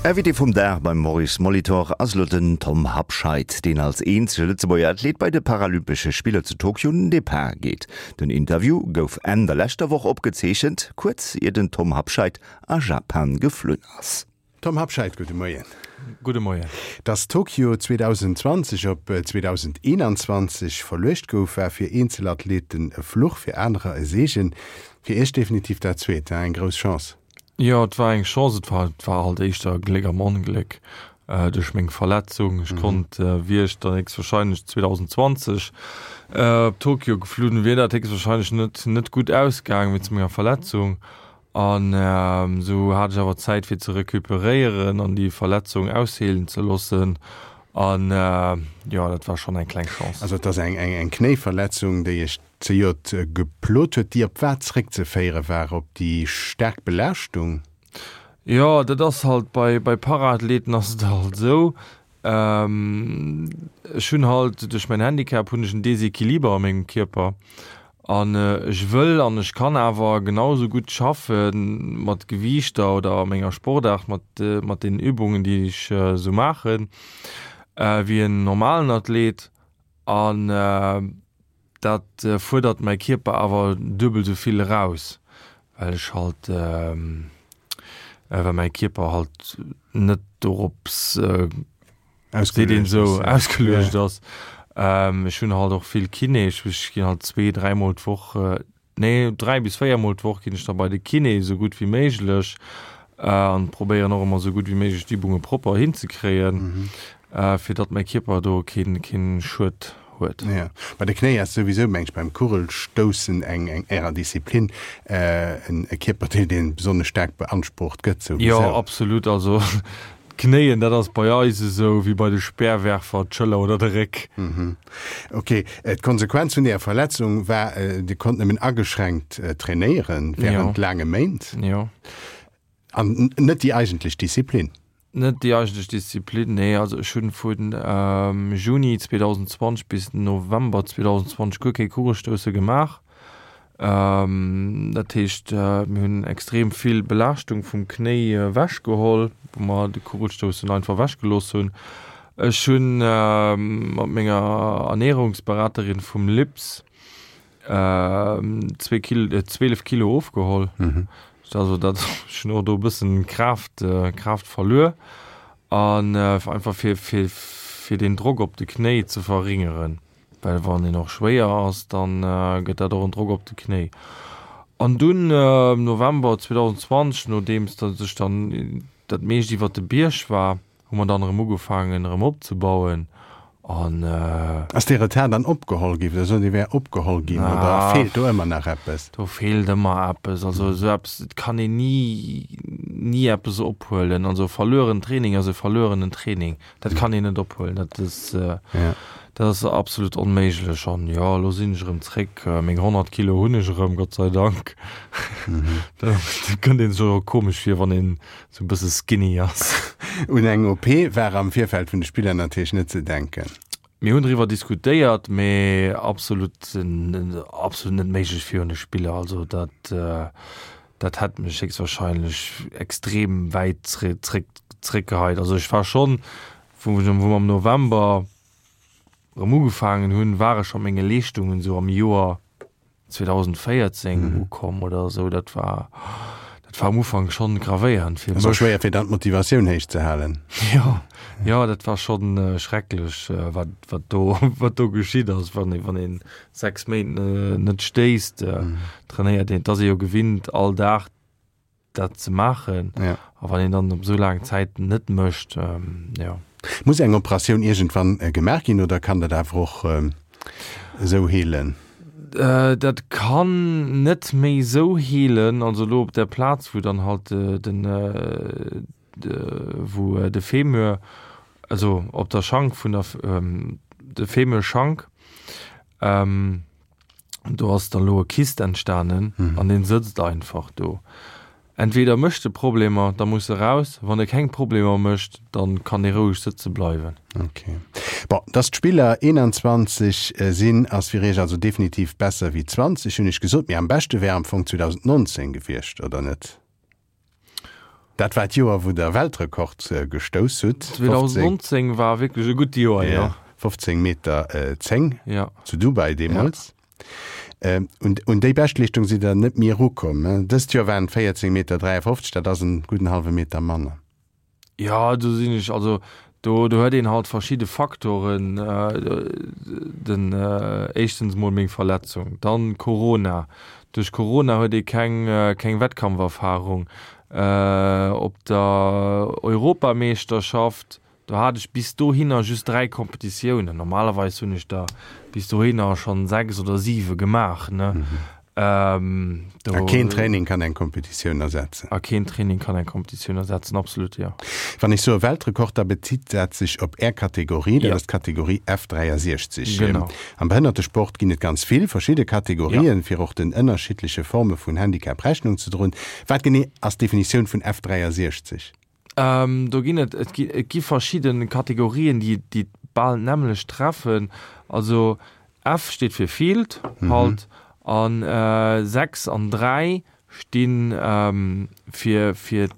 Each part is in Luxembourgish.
Invité vum Dag beim Maurice Molitor ass elo den Tom Habscheid, deen als eenzege Lëtzebuerger Athlet bei de Paralympesche Spiller zu Tokio un den Depart geet. Den Interview gouf Enn der leschter Woch opgezeechent, kuerz ier den Tom Habscheid a Japan geflunn ass. Tom Habscheid, gudde Moien. Gudde Moien. Datt Tokio 2020 op 2021 verluecht gouf, war fir eenzel Athleten e Fluch, fir anerer e Seegen. Fir Iech definitiv dat Zweet, eng grouss Chance. Jo, et war eng Chance, et war, et war halt éischter Gléck am Ongléck duerch meng Verletzung. Ech konnt, wier ech dann héchstwahrscheinlech 2020 op Tokio geflunn, wier dat héchstwahrscheinlech net, net gutt ausgaangen wéinst menger Verletzung. An esou hat ech awer Zäit fir ze recuperéieren an déi Verletzung ausheelen ze loossen. An jo, dat war schonn eng kleng Chance. Also et ass eng, eng, eng Knéiverletzung, déi Iech zejoert geplot huet, déi op wat zeréckzeféiere war? Op déi staark Belaaschtung? Jo, dat ass halt bei, bei Paraathleten ass et halt esou, ech hunn halt duerch mäin Handicap hunn ech en Desequiliber a mengem Kierper an ech wëll an ech kann awer genau esou gutt schaffe mat Gewiichter oder a menger Sportaart mat, mat den Übungen, déi ech esou maachen, wéi en normalen Athlet an Dat fuerdert mäi Kierper awer duebel sou vill eraus, well ech halt, well mäi Kierper halt net dorops, seet een esou, ausgeluecht ass. Ech hunn halt och vill Kiné, ech ginn halt zwee, dräimol d'Woch Nee, 3 bis 4 mol d'Woch ginn ech da bei de Kiné, esou gutt wéi méiglech, an probéieren och ëmmer esou gutt wéi méiglech d'Übunge propper hinzekréien, fir datt mäi Kierper do keen, keen Schued huet. Jo, bei de Knéi ass souwisou, meng ech, beim Kugelstoussen eng, eng ärer Disziplin, en e Kierperdeel, dee besonnesch staark beansprucht gëtt souwisou. Jo, absolut. Also D'Knéien, dat ass bei eis esou wéi bei de Speerwerfer d'Schëller oder de Réck. Ok, d'Konsequenz vun deeër Verletzung war, Dir konnt nëmmen ageschränkt trainéieren wärend laange Méint. Jo. An net déi eigentlech Disziplin. Net déi eigentlech Disziplin, nee. Also ech hunn vu Juni 2020 bis November 2020 guer kee Kugelstousse gemaach. Dat heescht, mir hunn extrem vill Belaaschtung vum Knéi ewechgeholl, wou mer de Kugelstoussen einfach ewechgelooss hunn. Ech hu mat menger Ernärungsberaterin vum LIPS zwee Kil 12 Kilo ofgeholl. Also dat, ech hunn och do e bëssen Kraaft, Kraaft verluer an einfach fir, fir, fir den Drock op de Knéi ze verringeren. Well wann een och schwéier ass, dann gëtt dat och en Drock op de Knéi. An dunn am November 2020, nodeems datt ech dann dat meescht iwwert de Bierg war, hu mer dann erëm ugefaangen erëm opzebauen an. Ass dee Retard dann opgeholl gi, oder sot Dir wär opgeholl ginn, oder feelt do ëmmer nach eppes? Do feelt ëmmer eppes. Also esou eppes, et kann een ni, ni eppes ophuelen. Also verlueren Training ass e verluerenen Training. Dat kann een net ophuelen, dat ass, dat ass absolut onméiglech. An jo, elo sinn ech erëm zréck, meng 100 Kilo hunn ech erëm, Gott sei Dank. Da kënnt ee sech och komesch vir, wann een esou e bësse skinny ass. Un eng OP war am Virfeld vun de Spiller natierlech net ze denken. Mir hunn driwwer diskutéiert, mee absolut, absolut net méiglech virun de Spiller. Also dat, dat hätt mech héchstwahrscheinlech extrem wäit zréck, zréckgeheit. Also ech war schonn, wou ech, wou mer am November erëm ugefaangen hunn, war ech scho menge Leeschtungen esou am Joer 2014 ukomm oder esou. Dat war, dat war am Ufank schonn gravéierend fir mech. Schwéier fir dann d'Motivatioun héich ze halen. Jo, jo, dat war schonn schrecklech, wat, wat do, wat do geschitt ass, wann ee, wann ee 6 Méint net stéisst, trainéiert een, et ass ee jo gewinnt all Dag dat ze maachen. Ja. A wann een dann op esou laang Zäit net mécht, jo. Muss eng Operatioun iergendwann gemaach ginn oder kann dat awer och esou heelen? Dat kann net méi esou heelen, also elo op der Plaz wou dann halt den, wou de Femur, also op der Schank vun der, de Femurschank, do ass dann elo e Kyst entstanen an deen sëtzt einfach do. Entweder mécht e Problemer, da muss e raus, wann e keng Problemer mécht, dann kann e roueg sëtze bleiwen. Ok. Bon, dass d'Spiller 21 sinn, ass fir Iech also definitiv besser wéi 20, hunn ech gesot, mee am beschte wär am Fong 2019 gewiescht, oder net? Dat war d'Joer, wou Der Weltrekord gestouss hutt. 2019 war wierklech e gutt Joer, jo. 15 Meter 10 zu Dubai deemools. Un déi Beschtleeschtung sidd Der net méi erukomm. Dëst Joer waren et 14 Meter 53, dat ass en gudden hallwe Meter manner. Jo, do sinn ech, also do do huet een halt verschidde Faktoren, den éischtens mol meng Verletzung, dann Corona, duerch Corona huet ee keng keng Wettkampferfarung. Op der Europameeschterschaft, do hat ech bis dohinner just 3 Kompetitiounen, normalerweis hunn ech der bis dohinner schonn 6 oder 7 gemaach, ne. A keen Training kann eng Kompetitioun ersetzen. A keen Training kann eng Kompetitioun ersetzen, absolut, jo. Wann ech soe Weltrekord, da bezitt dat sech op Är Kategorie, dat ass d'Kategorie F63. Genau. Am Behënnertesport ginn et ganz vill verschidde Kategorien, fir och den ënnerschiddleche Forme vun Handicap Rechnung ze droen. Wat genee ass d'Definitioun vun F63? Do ginn et, et gi, et gi verschidde Kategorien, déi, déi bal d'nämmlecht treffen. Also F steet fir Field halt an 6 an 3 sti fir, fir,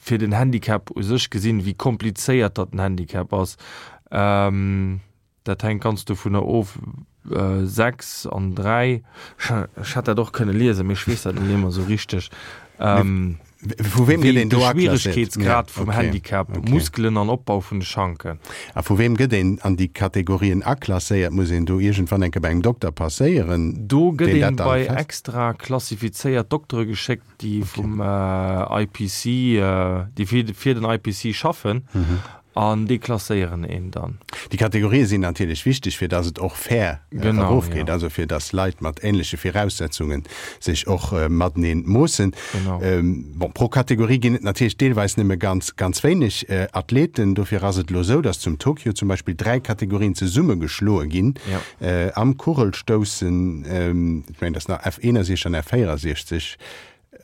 fir den Handicap u sech gesinn, wéi komplizéiert datt den Handicap ass. Dat hänkt ganz dovunner of, 6 an 3, ech hätt dat och kënne liesen, mee ech weess dat net méi ëmmer esou richteg. Vu weem gëtt een do aklasséiert? De Schwieregkeetsgrad vum Handicap, Muskelen an Opbau vun de Schanken. A vu weem gëtt een an déi Kategorien aklasséiert? Muss een do iergendwann eng Kéier bei engem Dokter passéieren, Do gëtt een bei extra klassifizéiert Doktere geschéckt, déi vum IPC, déi fir den IPC schaffen an déi klasséieren een dann. Déi Kategorië sinn natierlech wichteg, fir datt et och fair erofgeet, also fir datt Leit mat änleche Viraussetzunge sech och matenee moossen. Bon, pro Kategorie ginn et natierlech deelweis nëmme ganz, ganz wéineg Athleten. Dofir ass et elo esou, datt zum Tokio zum Beispill 3 Kategorien zesummegeschloe ginn am Kugelstoussen, ech mengen, dat ass nach F61 an F64.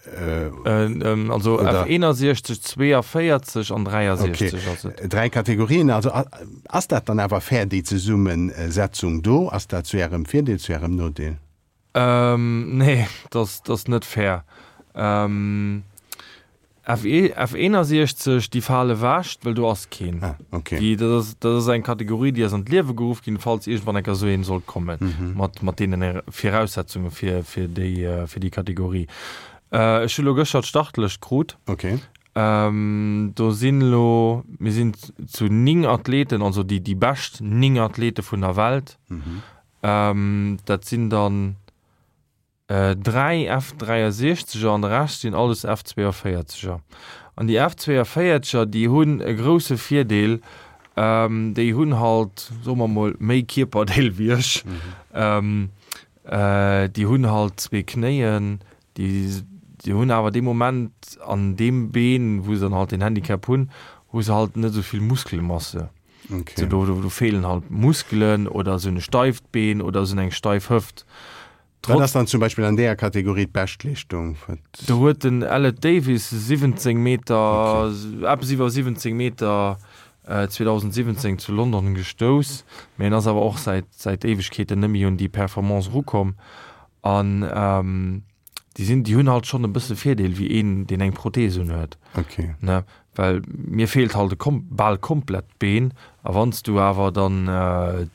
Also F61, 42 an 63 ass et. Dräi Kategorien. Also ass dat dann awer fair, déi Zesummesetzung do? Ass dat zu Ärem Virdeel, zu Ärem Nodeel? Nee, dat ass net fair. F61, déi fale ewech, well do ass keen. Ah, okay. Déi, dat ass, dat ass eng Kategorie, déi ass an d'Liewe geruff ginn, falls iergendwann eng Kéier esou een sollt kommen, mhm. mat, mat deenen Viraussetzunge fir, fir déi, äh, fir déi Kategorie. Äh, ech hu lo gëschter d'Startlëscht krut. Okay. Ähm, do sinn lo, mir sinn zu 9 Athleten, also déi, déi bescht 9 Athlete vun der Welt. Mhm. Ähm, dat sinn dann 3 F-63er an de Rescht sinn alles F-42er. An déi F-42er, déi hunn e grousse Virdeel, déi hunn halt, soe mer mol, méi Kierperdeel wéi ech. Déi hunn halt zwee Knéien, déi hunn awer dee Moment an deem Been, wou se dann halt den Handicap hunn, hu se halt net esou vill Muskelmasse. Okay. Do, do feelen halt Muskelen oder se hunn e steift Been oder se hunn eng steif Hëft. Wat ass dann zum Beispill an deeër Kategorie d'Beschtleeschtung? Do huet den Ellet Davis 17 Meter, eppes iwwer 17 Meter 2017 zu London gestouss, mee en ass awer och säit säit Éiwegkeeten net méi un déi Performance erukomm. An déi sinn, déi hunn halt schonn e bësse Virdeel wéi een, deen eng Prothees unhuet. Okay. Ne? Well mir feelt halt e kom bal komplett Been, a wann s du awer dann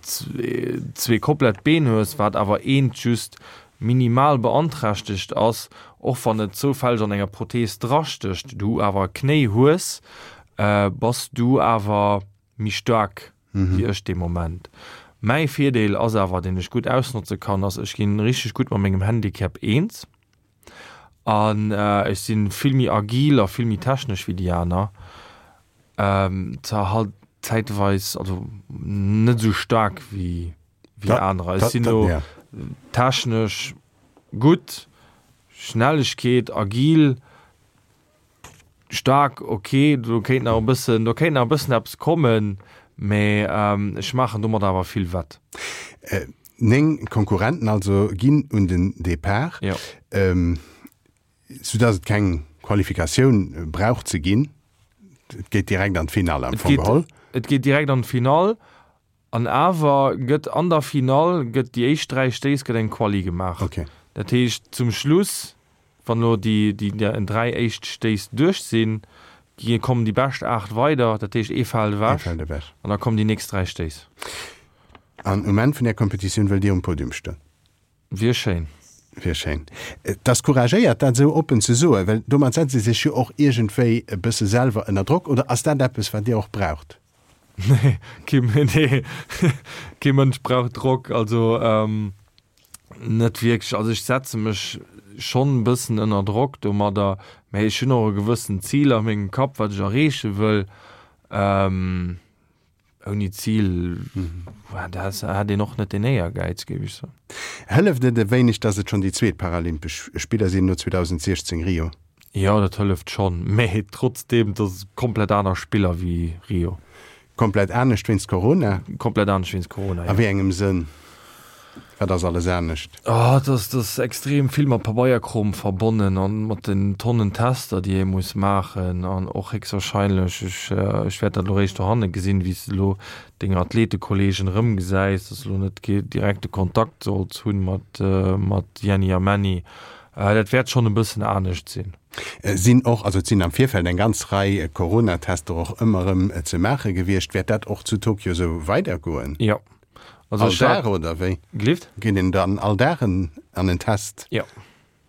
zwee komplett Been hues, wat awer eent just minimal beanträchtegt ass, och wann et zoufälleg an enger Prothees drastécht, du awer Knéi hues, bass du awer méi staark wéi ech dee Moment. Mäi Virdeel ass awer, deen ech gutt ausnotze kann, ass, ech ginn richteg gutt mat mengem Handicap eens. An ech si vill méi agil a vill méi technesch wéi déi aner. Zwar halt zäitweis, also net esou staark wéi wéi anerer. Ech sinn elo technesch gutt, Schnellegkeet, agil, staark, ok, do kéint nach e bëssen, do kéint nach e bëssen eppes kommen, mä ech maachen domat awer vill wett. 9 Konkurrenten also ginn un den Depart, Jo. Soudass et keng Qualifikatioun brauch ze ginn. Et geet direkt an d'Finall am Fong geholl. Et geet direkt an d'Finall an awer gëtt an der Finall gëtt déi éischt 3 Stéiss gëtt eng Quali gemaach. Okay. Dat heescht zum Schluss. Wann elo déi déi 3 éischt Stéiss duerch sinn, gi kommen déi bescht 8 weider, dat heescht ee fält ewech an da kommen déi nächst 3 Stéiss. An um Enn vun där Kompetitioun wëllt Dir um Podium stoen? Wier schéin. Wier schéin. Et ass couragéiert, dat esou oppen ze soen, well domat setzt ee sech jo och iergendwéi e bësse selwer ënner Drock. Oder ass dat eppes, wat Dir och braucht? Nee, kee, nee, kee Mënsch brauch Drock. Also net wierklech. Also ech setze mech schonn e bëssen ënner Drock domadder, mä ech hunn och e gewëssent Zil a mengem Kapp, wat ech erreeche wëll. Ouni Zil hätt een och net den Éiergäiz, géif ech soen. Hëlleft et e wéineg, datt et schonn déi zweet Paralympesch Spiller sinn no 2016 Rio? Jo, dat hëlleft schonn, mä trotzdeem, et ass komplett aner Spiller wéi Rio. Komplett anescht wéinst Corona? Komplett anescht wéinst Corona, jo. A wéi engem Sënn? Wat ass alles anescht? Oh, et ass, et ass extrem vill mat Pabeierkrom verbonnen an mat den Tonnen Tester, déi ee muss maachen an och héchstwahrscheinlech, ech, ech wäert dat elo réischt dohanne gesinn, wéi s de elo deng Athletekollegen erëmgesäis, dass de elo net kee direkte Kontakt solls hunn mat, mat Jenny a Männi. Dat wäert schonn e bëssen anescht sinn. Sinn och, also et sinn am Virfeld eng ganz Rei Coronatester och ëmmer erëm ze maache gewiescht. Wäert dat och zu Tokio esou weidergoen? Jo. Also all Dag oder wéi? Gelift? Geet een dann all Dag en, an en Test? Jo.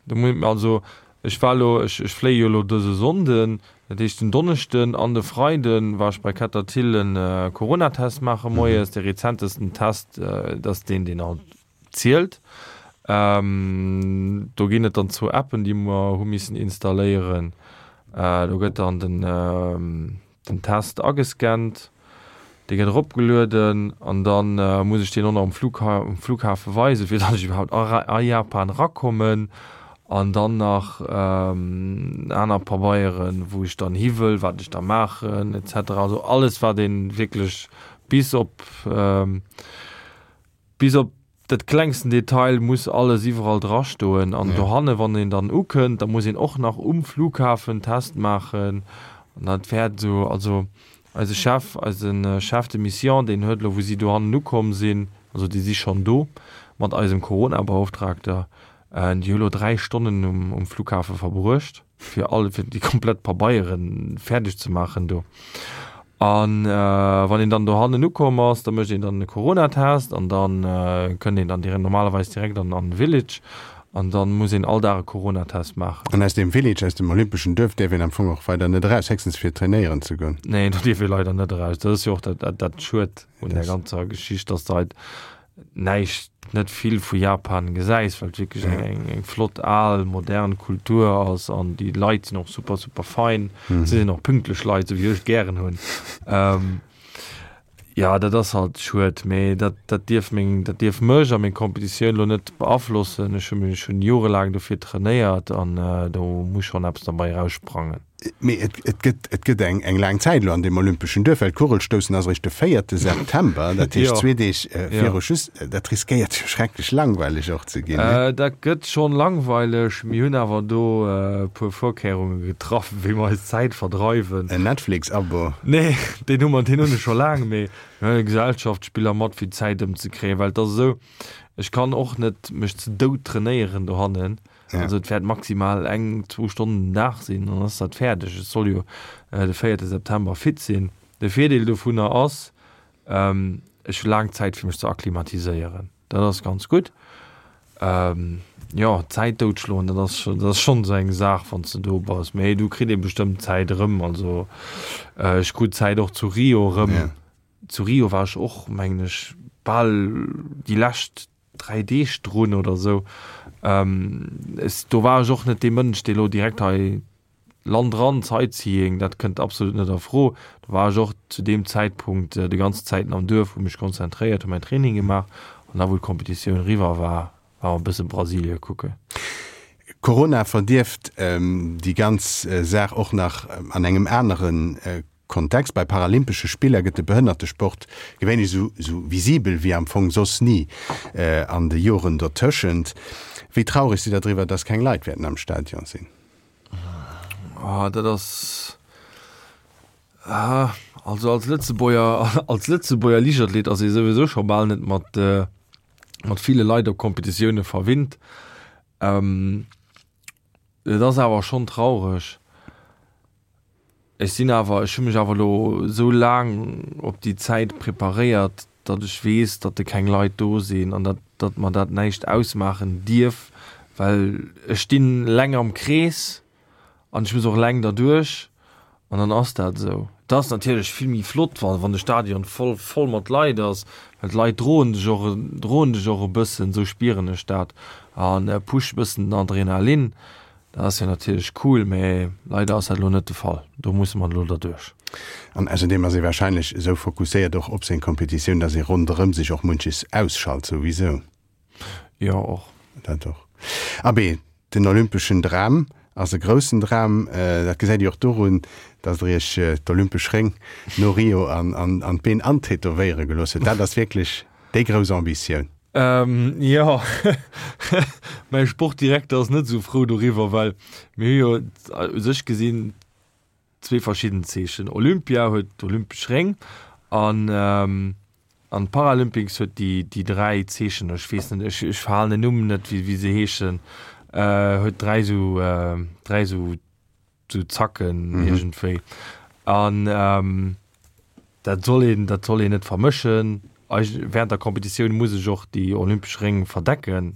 Du mu also ech war lo, ech, ech fléie jo lo dëse Sonnden, dat heescht den Donneschden an de Freiden war ech bei Kettertille en Coronatest maache moies. De rezentesten Test, dat ass deen, deen alt zielt. Do ginn et dann zwou Appen, déi mer hu missen installéieren. Do gëtt dann den. Den Test agescannt, dee gëtt eropgelueden an da muss ech deen och nach um um Flughafe weisen, fir datt ech iwwerhaapt a Japan erakommen. An dann nach aner Pabeieren, wou ech dann hi wëll, wat ech da maachen et cetera. Also alles wat ee wierklech bis op bis op dat klengsten Detail muss alles iwwerall drastoen. An dohanne wann een dann ukënnt, da muss een och nach um Flughafen Test maachen. An dat wäert esou, also eise Chef, eise Chef de Mission, deen huet elo wou si dohannen ukomm sinn, also déi si schonn do mat eisem Corona-Beauftragter, déi hu elo 3 Stonnen um Flughafe verbruecht. fir all fir déi komplett Pabeiere fäerdeg ze maachen do. An äh, wann een dann dohannen ukomm ass, da mécht een dann e Corona-Test an dann äh, kënnt een dann direkt normalerweis direkt an an Village an dann muss een all Dag e Corona-Test maachen. An aus deem Village, aus dem olympeschen Duerf däerf een am Fong och weider net eraus, héchstens fir trainéieren ze goen. Nee, do dierf ee leider net eraus. Dat ass jo och dat dat dat Schued un der ganzer Geschicht, dass de halt näischt, net vill vu Japan gesäis, well et wierklech eng, eng, eng flott al modern Kultur ass an déi Leit sinn och super, super fein. Si sinn och pünktlech Leit, esou wéi ech et gären hunn. Ähm, ja, dat ass halt schued, mee dat, dat dierf meng, dat dierf mech a meng Competitioun elo net beaflossen. Ech hu mech, hunn jorelaang dofir trainéiert an do muss schonn eppes derbei eraussprangen. Mee et, et gëtt, et gëtt eng, eng laang Zäit elo an deem olympeschen Duerf, well d'Kugelstoussen ass eréischt de véierte September, dat heescht zwee Deeg viru Schluss. Dat riskéiert jo schrecklech langweileg och ze ginn, ne? Dat gëtt schonn langweileg. Mir hunn awer do e puer Vorkehrunge getraff, wéi mer eis Zäit verdreiwen. En Netflix-Abo? Nee, deen hu mer, deen hunn ech scho laang, mee mir hunn Gesellschaftsspiller mat, fir d'Zäit ëmzekréien, well et ass esou, ech kann och net mech ze dout trainéieren dohannen. Ja. Also et wäert maximal eng, zwou Stonnen den Dag sinn, dann ass dat fäerdeg. Et soll jo äh, de 4. September fit sinn. De Virdeel dovunner ass, ähm, ech hu laang Zäit fir mech ze akklimatiséieren. Dat ass ganz gutt. Ähm, ja, Zäit doutschloen, dat ass, dat ass schonn esou eng Saach, wann s de do bass. Mee du kritt ee bestëmmt d'Zäit erëm. Also äh, ech krut d'Zäit och zu Rio erëm. Ja. Zu Rio war ech och, mengen ech, bal déi lescht 3 Deeg drun oder sou. Ech, do war ech och net dee Mënsch, dee lo direkt hei Land ran, Sightseeing, dat kënnt absolut net a Fro. Do war ech och zu deem Zäitpunkt déi ganzen Zäiten am Duerf, hu mech konzentréiert, hu mäin Training gemaach an da wou d'Competitioun eriwwer war, war mer e bësse Brasilie kucken. Corona verdierft déi ganz Saach och nach an engem anere Kontext, Bei paralympesche Spiller gëtt de Behënnertesport gewéinlech esou esou visibel wéi am Fong soss ni an de Joren dotëschent. Wéi traureg sidd der driwwer, dass keng Leit wäerten am Stadion sinn? Oh, dat ass, ah, also als Lëtzebuerger, als Lëtzebuerger Liichtathlet ass ee souwisou scho bal net mat mat ville Leit op Competitioune verwinnt. Et ass awer schonn traureg. Ech sinn awer, ech hu mech awer elo esou laang op déi Zäit preparéiert, datt ech weess, datt de keng Leit do sinn an datt, datt mer dat näischt ausmaachen dierf, well ech stinn leng am Krees an ech muss och leng derduerch an dann ass dat esou. Et ass natierlech vill méi flott, wa wann de Stadion voll voll mat Leit ass, well d'Leit droen dech och, droen dech och e bëssen, esou spieren ech dat, a pushe bëssen den Adrenalin. Dat ass jo natierlech cool, mä leider ass dat elo net de Fall. Do musse mer elo derduerch. An ausserdeem ass ee warscheinlech esou fokusséiert och op seng Competitioun, dass ee ronderëm sech och munches ausschalt souwisou. Jo, och. Dat och. Abee, den olympeschen Dram ass e groussen Dram. Dat gesäit Dir och dorun, dass Der Iech d'olympesch Réng no Rio an d'Been antätowéiere gelooss hutt. Dat ass wierklech déi grouss Ambitioun. Jo, mäi Sportdirekter ass net esou frou doriwwer, well mir hu jo u sech gesinn zwee verschidden Zeechen. Olympia huet d'olympesch Réng an an d'Paralympics huet déi déi dräi Zeechen, ech weess net, ech ech verhalen den Numm net, wéi wéi se heeschen, huet dräi esou dräi esou sou Zacken iergendwéi. An dat soll een, dat soll een net vermëschen. Während der Competitioun muss ech och déi olympesch Réng verdecken.